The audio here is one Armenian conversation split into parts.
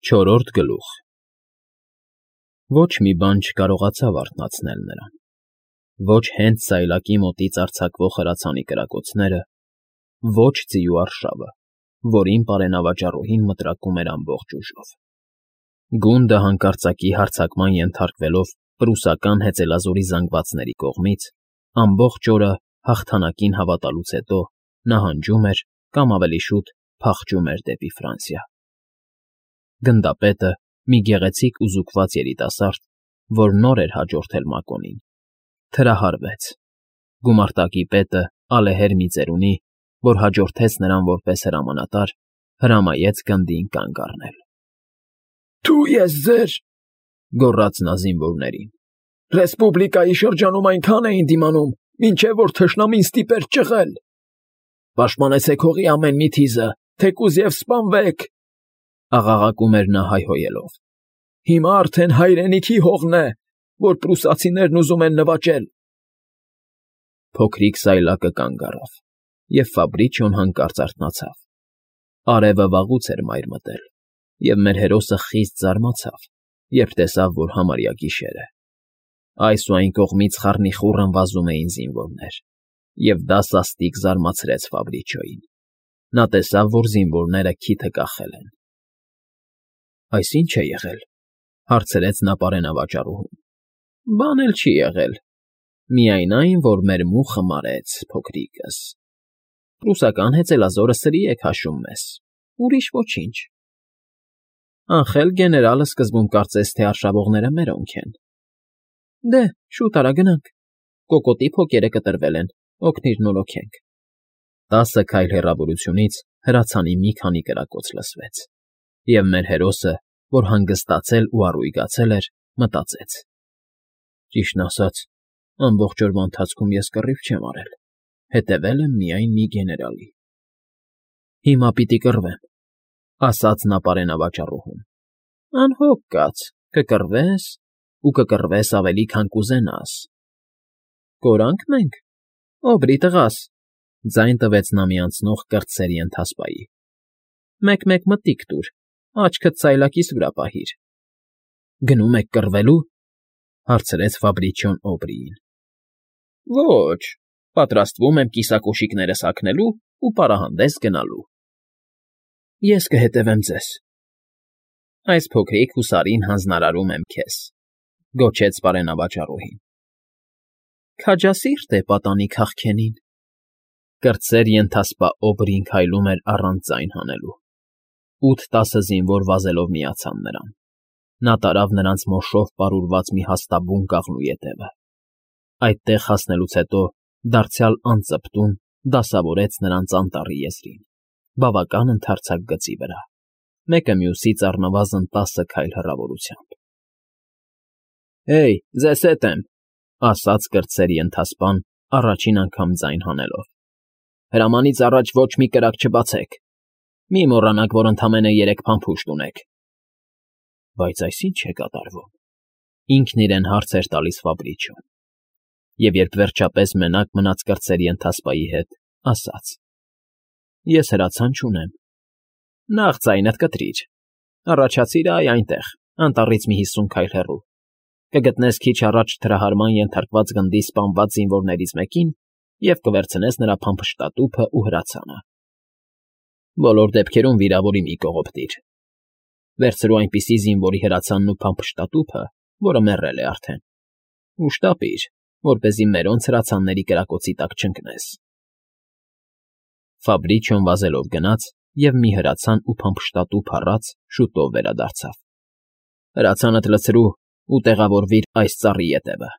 Չորրորդ գլուխ Ոչ մի բան չկարողացավ արթնացնել նրան, ոչ հենց սայլակի մոտից արձակվող հրացանի կրակոցները, ոչ ձիու արշավը, որին պարենավաճառուհին մտրակում էր ամբողջ ուժով։ Գունդը հանկարծակի հարձակման ենթարկվելով պրուսական հեծելազորի զանգվածների կողմից, ամբողջ օրը հաղթանակին հավատալուց հետո նահանջում էր կամ ավելի շուտ փախչում էր դեպի Ֆրանսիա։ Գնդապետը, մի գեղեցիկ ու զուկված երիտասարդ, որ նոր էր հաջորդել Մակոնին, թրահարվեց։ Գումարտակի պետը, ալեհեր մի ծերունի, որ հաջորդեց նրան որպես հրամանատար, հրամայեց գնդին կանգ առնել։ Դու ես ձեր, գոռաց նա զինվորներին։ Ռեսպուբլիկայի շրջանում այնքան էին դիմանում, մինչև որ թշնամին ստիպեր ճղել։ Պաշտպանեցեք հողի ամեն մի թիզը, թեկուզ և սպանվեք, աղաղակում էր նա հայհոյելով։ Հիմա արդեն հայրենիքի հողն է, որ պրուսացիներն ուզում են նվաճել։ Փոքրիկ սայլակը կանգ առավ, և Ֆաբրիչիոն հանկարծ արթնացավ։ Արևը վաղուց էր մայր մտել, և մեր հերոսը խիստ զարմացավ, երբ տեսավ, որ համարյա գիշեր է։ Այս ու այն կողմից խառնիխուռն վազում էին զինվորներ, և դա սաստիկ զարմացրեց Ֆաբրիչիոյին։ Նա տեսավ, որ զինվորները քիթը կախել են։ Այս ի՞նչ է եղել, հարցրեց նա պարենավաճառուհուն։ Բան էլ չի եղել, միայն այն, որ մեր մուխը մարեց, փոքրիկս։ Պրուսական հեծելազորը սրի է քաշում մեզ, ուրիշ ոչինչ։ Անխել գեներալը սկզբում կարծես թե արշավողները մերոնք են։ Դե, շուտ արա գնանք, կոկոտի փոկերը կտրվել են, օգնիր նորոգենք։ 10 քայլ հեռավորությունից հրացանի մի քանի կրակոց լսվեց, և մեր հերոսը, որ հանգստացել ու առույգացել էր, մտածեց. Ճիշտն ասած, ամբողջ օրվա ընթացքում ես կռիվ չեմ արել, հետևել եմ միայն մի գեներալի։ Հիմա պիտի կռվեմ, ասաց նա պարենավաճառուհուն։ Անհոգ կաց, կկռվես ու կկռվես ավելի, քան կուզենաս։ Կորանք մենք, օբրի տղաս, ձայն տվեց նա մի անցնող կրտսերի ընթասպայի։ Մեկ-մեկ մտիկ տուր, աչքդ սայլակիս վրա պահիր։ Գնում եք կռվելու, հարցրեց Ֆաբրիչիոն Օբրիին։ Ոչ, պատրաստվում եմ կիսակոշիկներս հագնելու ու պարահանդես գնալու։ Ես կհետևեմ ձեզ։ Այս փոքրիկ հուսարին հանձնարարում եմ քեզ, գոչեց պարենավաճառուհին։ Քաջասիրտ է պատանի քաղքենին։ Կրտսեր ենթասպա Օբրին քայլում էր առանց ձայն հանելու։ 8-10 զինվոր վազելով միացան նրան։ Նա տարավ նրանց մոշով պարուրված մի հաստաբուն կաղնու ետևը։ Այդտեղ հասնելուց հետո դարձյալ անծպտուն դասավորեց նրանց անտառի եզրին, բավական ընդարձակ գծի վրա, մեկը մյուսից առնվազն 10 քայլ հեռավորությամբ։ Հեյ, ձեզ հետ եմ, ասաց կրտսերի ընթասպան, առաջին անգամ ձայն հանելով։ Հրամանից առաջ ոչ մի կրակ չբացեք։ Մի մոռանաք, որ ընդամենը 3 փամփուշտ ունեք։ Բայց այս ի՞նչ է կատարվում։ Ինքն իրեն հարց էր տալիս Ֆաբրիչիոն։ Եվ երբ վերջապես մենակ մնաց կրտսերի ընթասպայի հետ, ասաց. Ես հրացան չունեմ։ Նախ ձայնդ կտրիր։ Առաջացիր այնտեղ, անտառից մի 50 քայլ հեռու։ Կգտնես քիչ առաջ թրահարման ենթարկված գնդի սպանված զինվորներից մեկին և կվերցնես նրա փամփշտատուփն ու հրացանը։ Բոլոր դեպքերում վիրավորի մի կողոպտիր։ Վերցրու այնպիսի զինվորի հրացանն ու փամփշտատուփը, որը մեռել է արդեն, ու շտապիր, որպեսզի մերոնց հրացանների կրակոցի տակ չընկնես։ Ֆաբրիչիոն վազելով գնաց և մի հրացան ու փամփշտատուփ առած շուտով վերադարձավ։ Հրացանդ լցրու ու տեղավորվիր այս ծառի ետևը,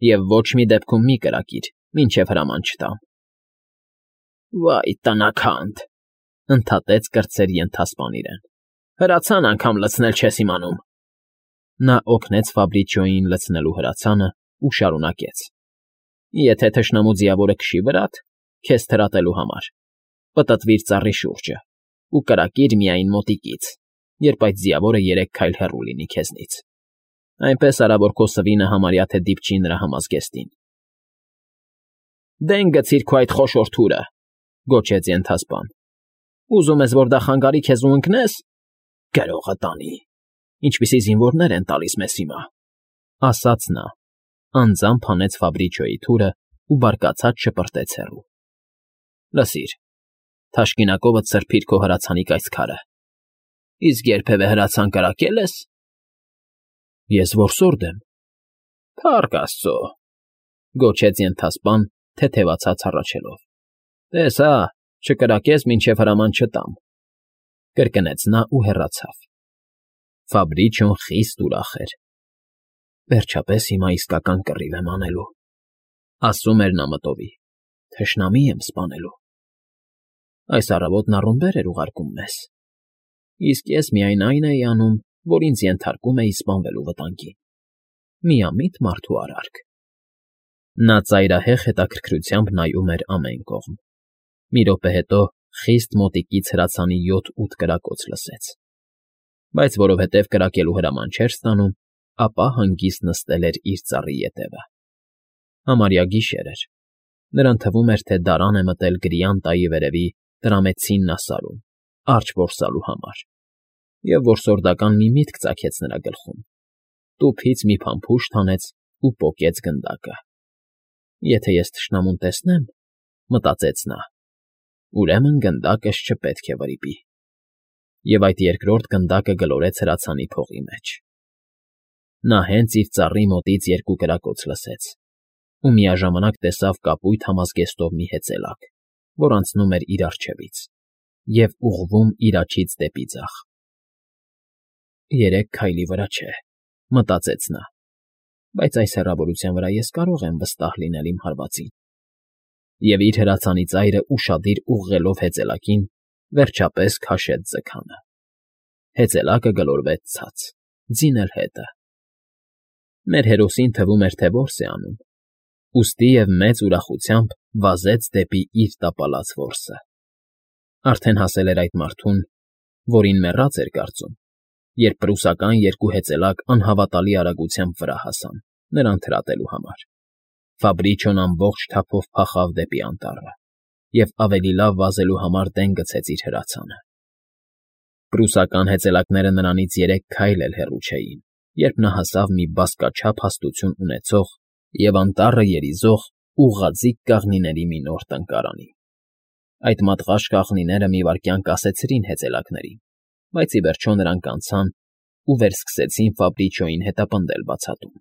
և ոչ մի դեպքում մի կրակիր, մինչև հրաման չտամ։ Վայ, տնաքանդ, ընդհատեց կրտսերի ընթասպան իրեն։ Հրացան անգամ լցնել չես իմանում։ Նա օգնեց Ֆաբրիչիոյին լցնելու հրացանը ու շարունակեց. Եթե թշնամու ձիավորը քշի վրադ, քեզ թրատելու համար, պտտվիր ծառի շուրջը ու կրակիր միայն մոտիկից, երբ այդ ձիավորը 3 քայլ հեռու լինի քեզնից։ Այնպես արա, որ քո սվինը համարյա թե դիպչի նրա համազգեստին։ Դեն գցիր քո այդ խոշոր թուրը, գոչեց ենթասպան։ Ուզում ես, որ դա խանգարի քեզ ու ընկնես։ Գրողը տանի։ Ինչպիսի զինվորներ են տալիս մեզ հիմա։ Ասաց նա, անձամբ հանեց Ֆաբրիչոյի թուրը ու բարկացած շպրտեց հեռու։ Լսիր, թաշկինակովդ սրբիր քո հրացանի կայծքարը։ Իսկ երբևէ հրացան կրակել ես։ Ես որսորդ եմ։ Փառք Աստծո, գոչեց ենթասպան, թեթևացած հառաչելով։ Տեսա, չկրակես, մինչև հրաման չտամ։ Կրկնեց նա ու հեռացավ։ Ֆաբրիչոն խիստ ուրախ էր։ Վերջապես հիմա իսկական կռիվ եմ անելու, ասում էր նա մտովի։ Թշնամի եմ սպանելու։ Այս առավոտն առումբեր էր ուղարկում մեզ։ Իսկ ես միայն այն էի անում, որ ինձ ենթարկում էի սպանվելու վտանգին։ Միամիտ մարդու արարք։ Նա ծայրահեղ հետաքրքրությամբ նայում էր ամեն կողմ։ Մի րոպե հետո խիստ մոտիկից հրացանի 7-8 կրակոց լսեց։ Բայց որովհետև կրակելու հրաման չէր ստանում, ապա հանգիստ նստել էր իր ծառի ետևը։ Համարյա գիշեր էր։ Նրան թվում էր, թե դարան է մտել գրյան տայի վերևի տրամեցին ասարում, արջ որսալու համար, և որսորդական մի միտք ծագեց նրա գլխում։ Տուփից մի փամփուշտ հանեց ու պոկեց գնդակը։ Եթե ես թշնամուն տեսնեմ, մտածեց նա, ուրեմն գնդակս չպետք է վրիպի։ Եվ այդ երկրորդ գնդակը գլորեց հրացանի փողի մեջ։ Նա հենց իր ծառի մոտից 2 կրակոց լսեց ու միաժամանակ տեսավ կապույտ համազգեստով մի հեծելակ, որ անցնում էր իր առջևից և ուղղվում իր աջից դեպի ձախ։ 3 քայլի վրա չէ, մտածեց նա, բայց այս հեռավորության վրա ես կարող եմ վստահ լինել իմ հարվածին։ Եվ իր հրացանի ծայրը ուշադիր ուղղելով հեծելակին, վերջապես քաշեց ձգանը։ Հեծելակը գլորվեց ցած, ձինել հետը։ Մեր հերոսին թվում էր, թե որս է անում, ուստի և մեծ ուրախությամբ վազեց դեպի իր տապալած որսը։ Արդեն հասել էր այդ մարդուն, որին մեռած էր կարծում, երբ պրուսական 2 հեծելակ անհավատալի արագությամբ վրա հասան, նրան թրատելու համար։ Ֆաբրիչոն ամբողջ թափով փախավ դեպի անտառը և ավելի լավ վազելու համար դեն գցեց իր հրացանը։ Պրուսական հեծելակները նրանից 3 քայլ էլ հեռու չէին, երբ նա հասավ մի բազկաչափ հաստություն ունեցող և անտառը երիզող ուղղաձիգ կաղնիների մի նոր տնկարանի։ Այդ մատղաշ կաղնիները մի վայրկյան կասեցրին հեծելակներին, բայց ի վերջո նրանք անցան ու վերսկսեցին Ֆաբրիչոյին հետապնդել բացատում։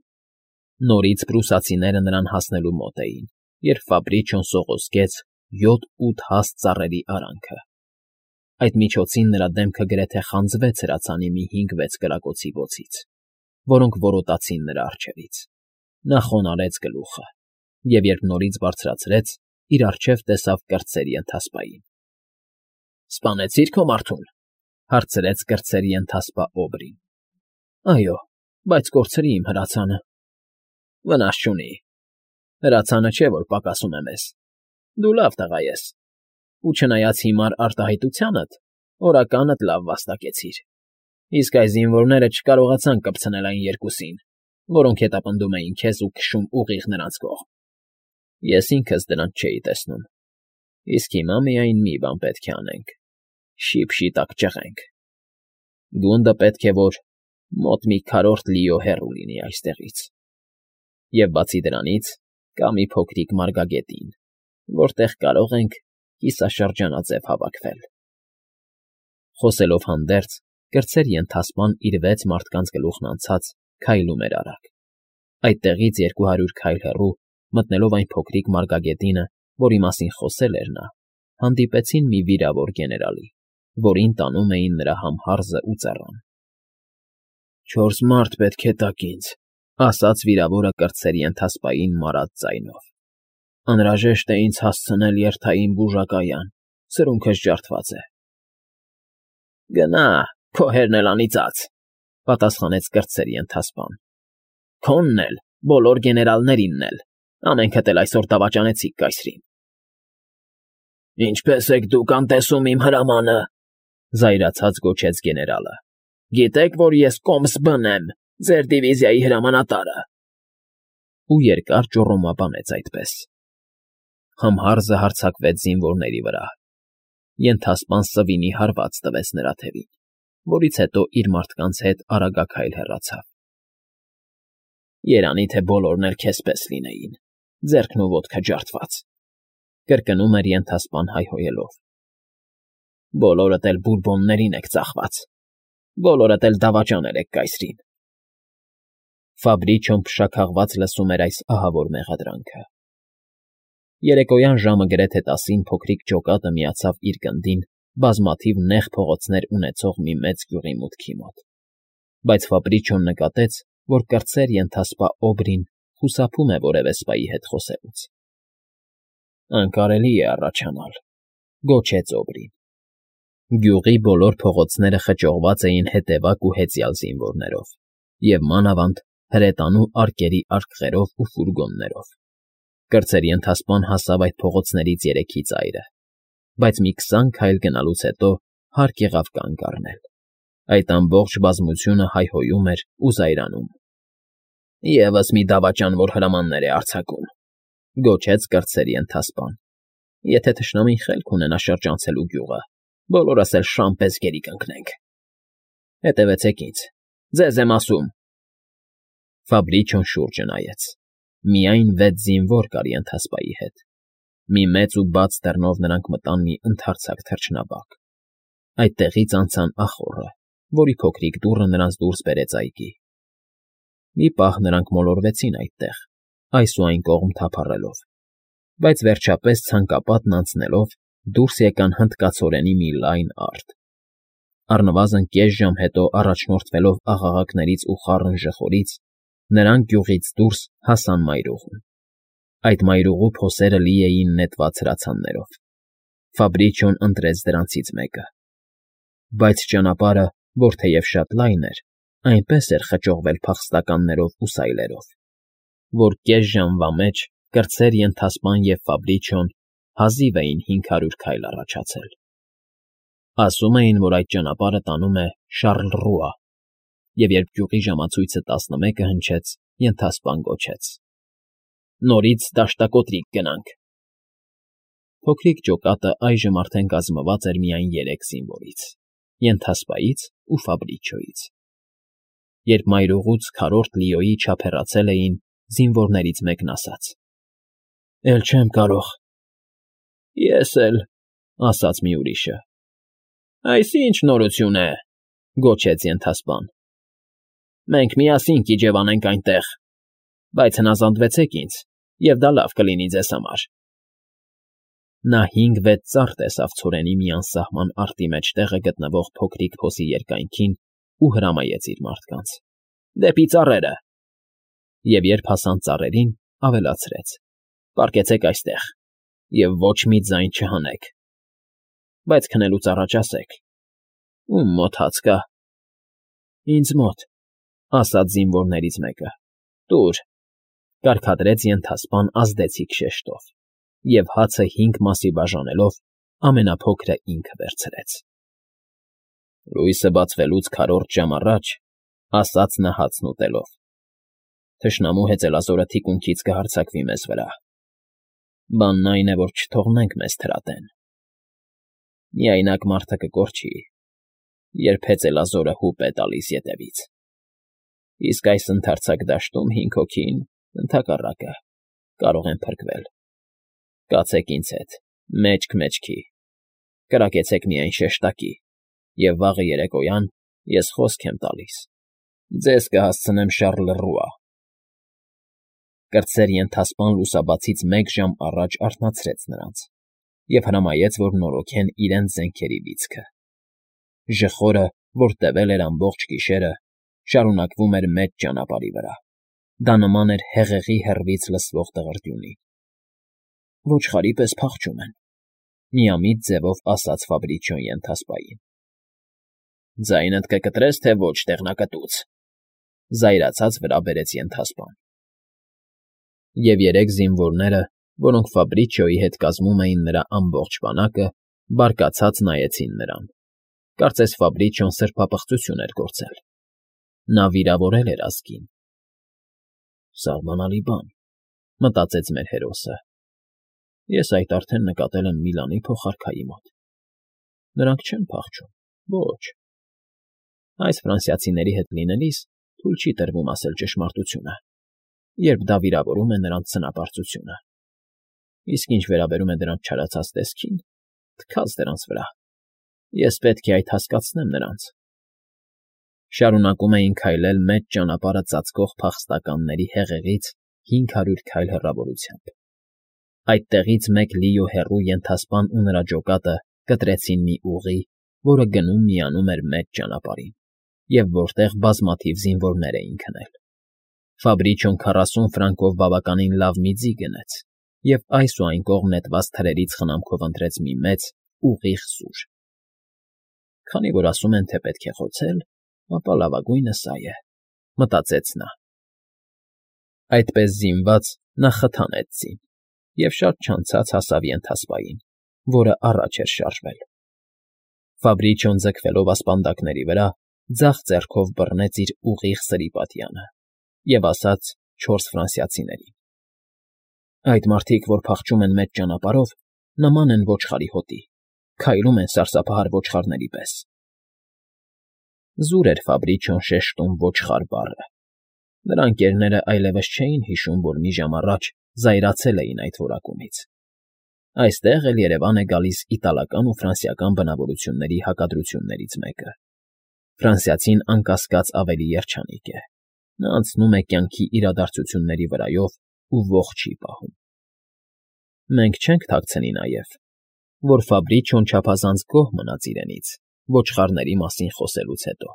Նորից պրուսացիները նրան հասնելու մոտ էին, երբ Ֆաբրիչոն սողոսկեց 7-8 հաստ ծառերի արանքը։ Այդ միջոցին նրա դեմքը գրեթե խանձվեց հրացանի մի 5-6 կրակոցի բոցից, որոնք որոտացին նրա առջևից։ Նա խոնարհեց գլուխը, և երբ նորից բարձրացրեց, իր առջև տեսավ կրտսերի ընթասպային։ ֊ Սպանեցի՞ր քո մարդուն,֊ հարցրեց կրտսերի ընթասպա Օբրին։ ֊ Այո, բայց կորցրի իմ հրացանը։ ֊ Վնաս չունի։ Հրացանը չէ, որ պակասում է մեզ։ Դու լավ տղա ես, ու չնայած հիմար արտահայտությանդ, օրականդ լավ վաստակեցիր։ Իսկ այս զինվորները չկարողացան կպցնել այն 2-ին, որոնք հետապնդում էին քեզ ու քշում ուղիղ նրանց կողմ։ Ես ինքս դրանց չէի տեսնում։ Իսկ հիմա միայն մի բան պետք է անենք. շիպ-շիտակ ճղենք։ Գունդը պետք է որ մոտ մի քառորդ լիո հեռու լինի այստեղից։ Եվ բացի դրանից կա մի փոքրիկ մարգագետին, որտեղ կարող ենք կիսաշրջանաձև հավաքվել։ Խոսելով հանդերձ, կրտսերի ընթասպան իր 6 մարդկանց գլուխն անցած քայլում էր արագ։ Այդտեղից 200 քայլ հեռու, մտնելով այն փոքրիկ մարգագետինը, որի մասին խոսել էր նա, հանդիպեցին մի վիրավոր գեներալի, որին տանում էին նրա համհարզը ու ծառան։ 4 մարդ պետք է տաք ինձ,֊ ասաց վիրավորը կրտսերի ընթասպային մարած ձայնով։ Անհրաժեշտ է ինձ հասցնել երթային բուժակայան, սրունքս ջարդված է։ Գնա, քո հերն էլ անիծած,֊ պատասխանեց կրտսերի ընթասպան։ Քոնն էլ, բոլոր գեներալներինն էլ, ամենքդ էլ այսօր դավաճանեցիք կայսրին։ Ինչպե՞ս եք դուք անտեսում իմ հրամանը,֊ զայրացած գոչեց գեներալը։ Գիտեք, որ ես կոմս բն եմ, ձեր դիվիզիայի հրամանատարը։ Ու երկար ճոռոմաբանեց այդպես։ Համհարզը հարձակվեց զինվորների վրա։ Ենթասպան սվինի հարված տվեց նրա թևին, որից հետո իր մարդկանց հետ արագաքայլ հեռացավ։ Երանի թե բոլորն էլ քեզ պես լինեին, ձեռքն ու ոտքը ջարդված, կրկնում էր ենթասպան հայհոյելով։ Բոլորդ էլ բուրբոններին եք ծախված, բոլորդ էլ դավաճանել եք կայսրին։ Ֆաբրիչոն փշաքաղված լսում էր այս ահավոր մեղադրանքը։ Երեկոյան ժամը գրեթե 10-ին փոքրիկ ջոկատը միացավ իր գնդին բազմաթիվ նեղ փողոցներ ունեցող մի մեծ գյուղի մուտքի մոտ, բայց Ֆաբրիչոն նկատեց, որ կրտսեր ենթասպա Օբրին խուսափում է որևէ սպայի հետ խոսելուց։ Անկարելի է առաջանալ, գոչեց Օբրին։ Գյուղի բոլոր փողոցները խճողված էին հետևակ ու հեծյալ զինվորներով և մանավանդ հրետանու արկերի արկղերով ու ֆուրգոններով։ Կրտսեր ենթասպան հասավ այդ փողոցներից երեքի ծայրը, բայց մի 20 քայլ գնալուց հետո հարկ եղավ կանգ առնել։ Այդ ամբողջ բազմությունը հայհոյում էր ու զայրանում։ Եվս մի դավաճան, որ հրամաններ է արձակում, գոչեց կրտսեր ենթասպան։ Եթե թշնամին խելք ունենա շրջանցելու գյուղը, բոլորս էլ շան պես գերի կընկնենք։ Հետևեցեք ինձ, ձեզ եմ ասում։ Ֆաբրիչոն շուրջը նայեց։ Միայն 6 զինվոր կար ենթասպայի հետ։ Մի մեծ ու բաց դռնով նրանք մտան մի ընդարձակ թռչնաբակ։ Այդտեղից անցան ախոռը, որի փոքրիկ դուռը նրանց դուրս բերեց այգի։ Մի պահ նրանք մոլորվեցին այդտեղ, այս ու այն կողմ թափառելով, բայց վերջապես ցանկապատն անցնելով դուրս եկան հնդկացորենի մի լայն արտ։ Առնվազն կես ժամ հետո առաջնորդվելով աղաղակներից ու խառն ժխորից, նրանք գյուղից դուրս հասան մայրուղուն։ Այդ մայրուղու փոսերը լի էին նետված հրացաններով։ Ֆաբրիչոն ընտրեց դրանցից մեկը։ Բայց ճանապարհը, որ թեև շատ լայն էր, այնպես էր խճողվել փախստականներով ու սայլերով, որ կես ժամվա մեջ կրտսեր ենթասպան և Ֆաբրիչոն հազիվ էին 500 քայլ առաջացել։ Ասում էին, որ այդ ճանապարհը տանում է Շառլռուա, և երբ գյուղի ժամացույցը 11-ը հնչեց, ենթասպան գոչեց. Նորից դաշտակոտրիկ գնանք։ Փոքրիկ ջոկատը այժմ արդեն կազմված էր միայն 3 զինվորից՝ ենթասպայից ու Ֆաբրիչոյից։ Երբ մայրուղուց քառորդ լիոյի չափ հեռացել էին, զինվորներից մեկն ասաց. Էլ չեմ կարող։ Ես էլ, ասաց մի ուրիշը։ Այս ի՞նչ նորություն է, գոչեց ենթասպան։ Մենք միասին կիջևանենք այնտեղ, բայց հնազանդվեցեք ինձ, և դա լավ կլինի ձեզ համար։ Նա 5-6 ծառ տեսավ ցորենի մի անսահման արտի մեջտեղը գտնվող փոքրիկ փոսի երկայնքին ու հրամայեց իր մարդկանց. Դեպի ծառերը։ Եվ երբ հասան ծառերին, ավելացրեց. Պառկեցեք այստեղ և ոչ մի ձայն չհանեք։ Բայց քնելուց առաջ ասեք. Ում մոտ հաց կա։ Ինձ մոտ, ասաց զինվորներից մեկը։ Տուր, կարգադրեց ենթասպան ազդեցիկ շեշտով, և հացը 5 մասի բաժանելով ամենափոքրը ինքը վերցրեց։ Լույսը բացվելուց քառորդ ժամ առաջ, ասաց նա հացն ուտելով, թշնամու հեծելազորը թիկունքից կհարձակվի մեզ վրա։ Բանն այն է, որ չթողնենք մեզ թրատեն։ Միայնակ մարդը կկորչի, երբ հեծելազորը հուպ է տալիս ետևից։ Իսկ այս ընդարձակ դաշտում 5 հոգին, ընդհակառակը, կարող են փրկվել։ Կացեք ինձ հետ, մեջք մեջքի, կրակեցեք միայն շեշտակի, և վաղը երեկոյան ես խոսք եմ տալիս, ձեզ կհասցնեմ Շառլռուա։ Կրտսեր ենթասպան լուսաբացից 1 ժամ առաջ արթնացրեց նրանց և հրամայեց, որ նորոգեն իրենց զենքերի լիցքը։ Ժխորը, որ տևել էր ամբողջ գիշերը, շարունակվում էր մեծ ճանապարհի վրա։ Դա նման էր հեղեղի հեռվից լսվող դղրդյունի։ Ոչխարի պես փախչում են, միամիտ ձևով ասաց Ֆաբրիչոն ենթասպային։ Ձայնդ կկտրես, թե ոչ տեղնակտուց, զայրացած վրա բերեց ենթասպան։ Եվ 3 զինվորները, որոնք Ֆաբրիչոյի հետ կազմում էին նրա ամբողջ բանակը, բարկացած նայեցին նրան։ Կարծես Ֆաբրիչոն սրբապղծություն էր գործել։ Նա վիրավորել էր ազգին։ Սահմանալի բան, մտածեց մեր հերոսը։ Ես այդ արդեն նկատել եմ Միլանի փոխարքայի մոտ։ Նրանք չեն փախչում, ոչ։ Այս ֆրանսիացիների հետ լինելիս թույլ չի տրվում ասել ճշմարտությունը, երբ դա վիրավորում է նրանց ցնապարծությունը։ Իսկ ինչ վերաբերում է դրանց չարացած տեսքին, թքած դրանց վրա, ես պետք է այդ հասկացնեմ նրանց։ Շարունակում էին քայլել մեծ ճանապարհը ծածկող փախստականների հեղեղից 500 քայլ հեռավորությամբ։ Այդտեղից մեկ լիո հեռու ենթասպան ու նրա ջոկատը կտրեցին մի ուղի, որը գնում֊միանում էր մեծ ճանապարհին, և որտեղ բազմաթիվ զինվորներ էին քնել։ Ֆաբրիչոն 40 ֆրանկով բավականին լավ մի ձի գնեց և այս ու այն կողմ նետված թրերից խնամքով ընտրեց մի մեծ, ուղիղ սուր։ Քանի որ ասում են, թե պետք է խոցել, ապա լավագույնը սա է, մտածեց նա։ Այդպես զինված նա խթանեց ձին և շատ չանցած հասավ ենթասպային, որը առաջ էր շարժվել։ Ֆաբրիչոն ձգվելով ասպանդակների վրա, ձախ ձեռքով բռնեց իր ուղիղ սրիպատյանը և ասաց 4 ֆրանսիացիներին. «Այդ մարդիկ, որ փախչում են մեծ ճանապարհով, նման են ոչխարի հոտի, քայլում են սարսափահար ոչխարների պես»։ Զուր էր Ֆաբրիչոն շեշտում ոչխար բառը։ Նրա ընկերները այլևս չէին հիշում, որ մի ժամ առաջ զայրացել էին այդ որակումից։ Այստեղ էլ երևան է գալիս իտալական ու ֆրանսիական բնավորությունների հակադրություններից մեկը։ Ֆրանսիացին անկասկած ավելի երջանիկ է։ Նա անցնում է կյանքի իրադարձությունների վրայով ու ոխ չի պահում։ Մենք չենք թաքցնի նաև, որ Ֆաբրիչոն չափազանց գոհ մնաց իրենից ոչխարների մասին խոսելուց հետո։